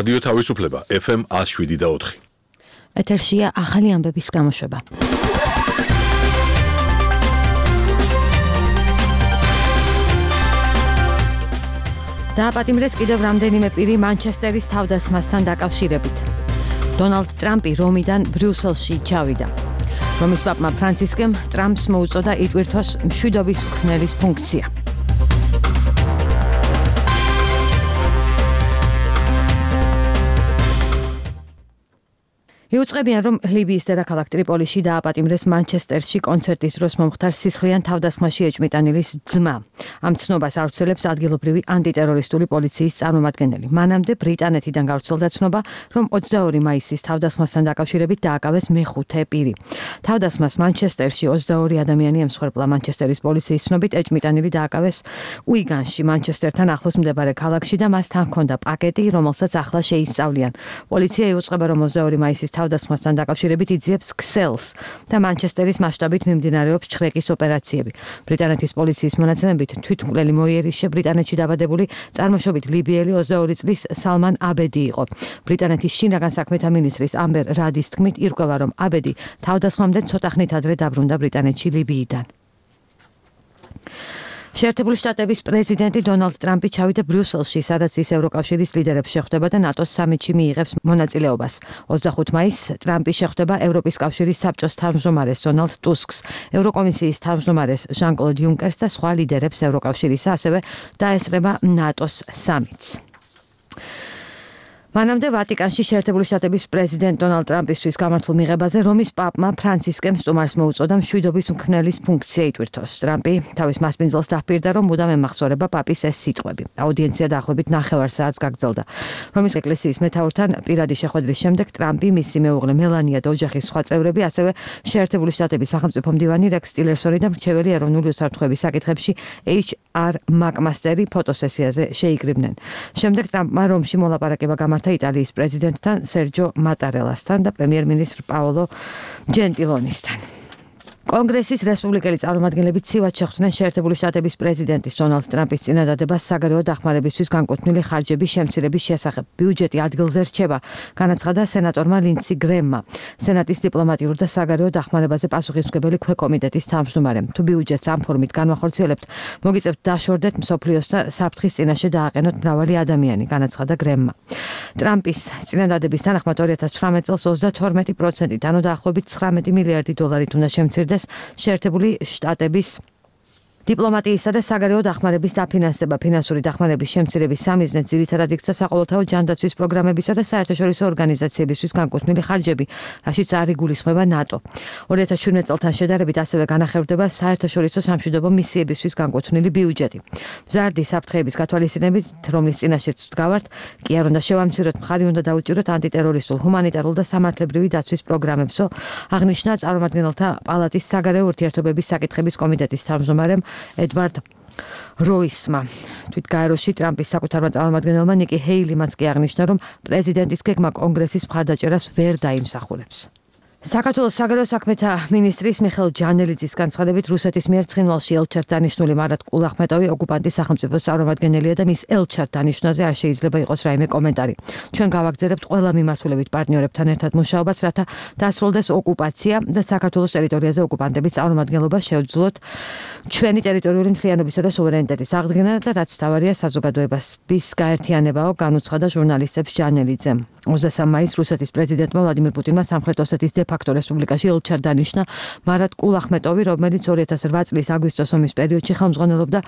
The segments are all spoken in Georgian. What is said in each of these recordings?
რადიო თავისუფლება FM 107.4. ეთერშია ახალი ამბების გამოშვება. დააპატიმრეს კიდევ რამდენიმე პირი მანჩესტერის თავდასხმასთან დაკავშირებით. დონალდ ტრამპი რომიდან ბრიუსელში ჩავიდა. რომის პაპმა ფრანცისკემ ტრამპს მოუწოდა იტვირთოს მშვიდობის მქმნელის ფუნქცია. იუწყებიან, რომ ლიბიის დედაქალაქ ტრიპოლიში დააპატიმრეს მანჩესტერში კონცერტის დროს მომხდარ სისხლიან თავდასხმაში ეჭმიტანილის ძმა. ამ ცნობას ავრცელებს ადგილობრივი ანტიტერორისტული პოლიციის წარმომადგენელი. მანამდე ბრიტანეთიდან გავრცელდა ცნობა, რომ 22 მაისის თავდასხმასთან დაკავშირებით დააკავეს მეხუთე პირი. თავდასხმას მანჩესტერში 22 ადამიანი ემსხვერპლა. მანჩესტერის პოლიციის ცნობით ეჭმიტანილი დააკავეს უიგანში, მანჩესტერთან ახლოს მდებარე ქალაქში და მას თან ჰქონდა პაკეტი, რომელსაც ახლა შეისწავლიან. პოლიცია იუწყება, რომ 22 მაისის თავდასხმასთან დაკავშირებით იძიებს ქსელს და მანჩესტერის მასშტაბით მიმდინარეობს ჩხრეკის ოპერაციები. ბრიტანეთის პოლიციის მონაცემებით თვითმკვლელი მოიერიშე ბრიტანეთში დაბადებული წარმოშობით ლიბიელი 22 წლის სალმან აბედი იყო. ბრიტანეთის შინაგან საქმეთა მინისტრის ამბერ რადის თქმით, ირკვევა, რომ აბედი თავდასხმამდე ცოტა ხნით ადრე დაბრუნდა ბრიტანეთში ლიბიიდან. შეერთებული შტატების პრეზიდენტი დონალდ ტრამპი ჩავიდა ბრიუსელში, სადაც ის ევროკავშირის ლიდერებს შეხვდება და ნატოს სამიტში მიიღებს მონაწილეობას. 25 მაისს ტრამპი შეხვდება ევროპის კავშირის საბჭოს თავმჯდომარეს დონალდ ტუსკს, ევროკომისიის თავმჯდომარეს ჟან-კლოდ იუნკერს და სხვა ლიდერებს ევროკავშირისა, ასევე დაესწრება ნატოს სამიტს. მანამდე ვატიკანში შეერთებული შტატების პრეზიდენტ დონალდ ტრამპისთვის გამართულ მიღებაზე რომის პაპმა ფრანცისკემ სტუმარს მოუწოდა მშვიდობის მქმნელის ფუნქცია იტვირთოს. ტრამპი თავის მასპინძელს დაჰპირდა, რომ მუდამ ემახსოვრება პაპის ეს სიტყვები. აუდიენცია დაახლოებით 9 საათს გაგრძელდა. რომის ეკლესიის მეთაურთან პირადი შეხვედრის შემდეგ ტრამპი, მისი მეუღლე მელანია და ოჯახის სხვა წევრები, ასევე შეერთებული შტატების სახელმწიფო მდივანი რექს ტილერსონი და მრჩეველი ეროვნული უსაფრთხოების საკითხებში HR მაკმასტერი ფოტოსესიაზე შეიკრიბნენ. შემდეგ ტრამპმა რომში მოლაპარაკება გამართა იტალიის პრეზიდენტთან სერჯო მატარელასთან და პრემიერ-მინისტრ პაოლო ჯენტილონისთან. კონგრესის რესპუბლიკელი წარმომადგენლები ცივად შეხვდნენ შეერთებული შტატების პრეზიდენტის დონალდ ტრამპის წინადადებას საგარეო დახმარებისთვის განკუთვნილი ხარჯების შემცირების შესახებ. ბიუჯეტი ადგილზე რჩება, განაცხადა სენატორმა ლინდსი გრემმა, სენატის დიპლომატიურ და საგარეო დახმარებაზე პასუხისმგებელი ქვეკომიტეტის თავმჯდომარემ. თუ ბიუჯეტს ამ ფორმით განვახორციელებთ, მოგიწევთ დაშორდეთ მსოფლიოს და საფრთხის წინაშე დააყენოთ მრავალი ადამიანი, განაცხადა გრემმა. ტრამპის წინადადების თანახმად 2018 წელს 32%, ანუ დაახლოებით 19 მილიარდი დოლარით უნდა შემცირდეს შეერთებული შტატების დიპლომატიისა და საგარეო დახმარების დაფინანსება. ფინანსური დახმარების შემცირების სამიზნედ ძირითადად იქცა საყოველთაო ჯანდაცვის პროგრამებისა და საერთაშორისო ორგანიზაციებისთვის განკუთვნილი ხარჯები, რაშიც არ იგულისხმება ნატო. 2017 წელთან შედარებით ასევე განახერხდება საერთაშორისო სამშვიდობო მისიებისთვის განკუთვნილი ბიუჯეტი. მზარდი საფრთხეების გათვალისწინებით, რომლის წინაშეც ვდგავართ, კი არ უნდა შევამციროთ, მხარი უნდა დაუჭიროთ ანტიტერორისტულ, ჰუმანიტარულ და სამართლებრივი დაცვის პროგრამებსო, აღნიშნა წარმომადგენელთა პალატის საგარეო ურთიერთობების საკითხების კომიტეტის თავმჯდომარემ ედვარდ როისმა. თვითგაეროში ტრამპის საკუთარმა წარმომადგენელმა ნიკი ჰეილიმაც კი აღნიშნა, რომ პრეზიდენტის გეგმა კონგრესის მხარდაჭერას ვერ დაიმსახურებს. საქართველოს საგარეო საქმეთა მინისტრის მიხეილ ჯანელიძის განცხადებით, რუსეთის მიერ ცხინვალში ელჩად დანიშნული მარატ კულახმეტოვი ოკუპანტის სახელმწიფოს წარმომადგენელია და მის ელჩად დანიშნვაზე არ შეიძლება იყოს რაიმე კომენტარი. ჩვენ გავაგზავნებთ ყველა მიმართულებით პარტნიორებთან ერთად მუშაობას, რათა დასრულდეს ოკუპაცია და საქართველოს ტერიტორიაზე ოკუპანტების წარმომადგენლობა შევძლოთ ჩვენი ტერიტორიული მთლიანობისა და სუვერენიტეტის აღდგენა და რაც თავარია საზოგადოების გაერთიანებაო, განუცხადა ჟურნალისტებს ჯანელიძემ. 23 მაისს რუსეთის პრეზიდენტმა ვლადიმირ პუტინმა სამხრეთ ოსეთის დე-ფაქტო რესპუბლიკაში ელჩად დანიშნა მარატ კულახმეტოვი, რომელიც 2008 წლის აგვისტოს ომის პერიოდში ხელმძღვანელობდა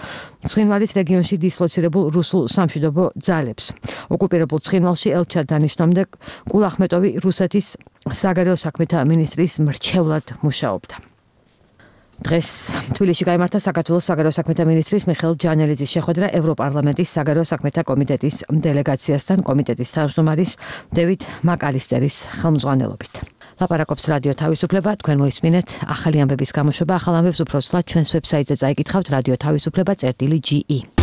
ცხინვალის რეგიონში დისლოცირებულ რუსულ სამშვიდობო ძალებს. ოკუპირებულ ცხინვალში ელჩად დანიშნამდე კულახმეტოვი რუსეთის საგარეო საქმეთა მინისტრის მრჩევლად მუშაობდა. დღეს თბილისში გაიმართა საქართველოს საგარეო საქმეთა მინისტრის მიხეილ ჯანელიძის შეხვედრა ევროპარლამენტის საგარეო საქმეთა კომიტეტის დელეგაციასთან, კომიტეტის თავმჯდომარის დევიდ მაკალისტერის ხელმძღვანელობით. ლაპარაკობს რადიო თავისუფლება, თქვენ მოისმინეთ ახალი ამბების გამოშვება, ახალ ამბებს უფრო ცლად ჩვენს ვებსაიტზე წაიკითხავთ radio-tavisupleba.ge.